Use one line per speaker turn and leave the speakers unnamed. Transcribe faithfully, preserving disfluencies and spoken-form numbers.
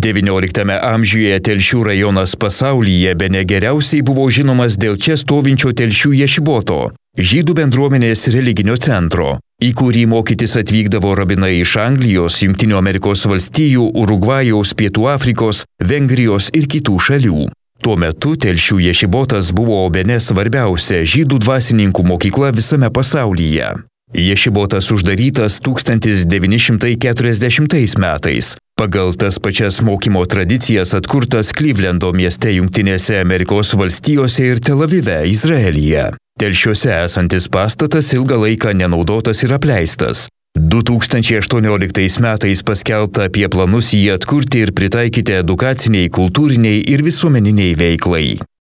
devynioliktame amžiuje Telšių rajonas pasaulyje bene geriausiai buvo žinomas dėl čia stovinčio Telšių ješiboto, žydų bendruomenės religinio centro, į kurį mokytis atvykdavo rabinai iš Anglijos, Jungtinių Amerikos valstijų, Urugvajaus, Pietų Afrikos, Vengrijos ir kitų šalių. Tuo metu Telšių ješibotas buvo bene svarbiausia žydų dvasininkų mokykla visame pasaulyje. Ješibotas uždarytas tūkstantis devyni šimtai keturiasdešimtais metais. Pagal tas pačias mokymo tradicijas atkurtas Klivlendo mieste Jungtinėse Amerikos valstijose ir Tel Avive, Izraelyje. Telšiuose esantis pastatas ilgą laiką nenaudotas ir apleistas. du tūkstančiai aštuonioliktais metais paskelbta apie planus jį atkurti ir pritaikyti edukaciniai, kultūriniai ir visuomeniniai veiklai.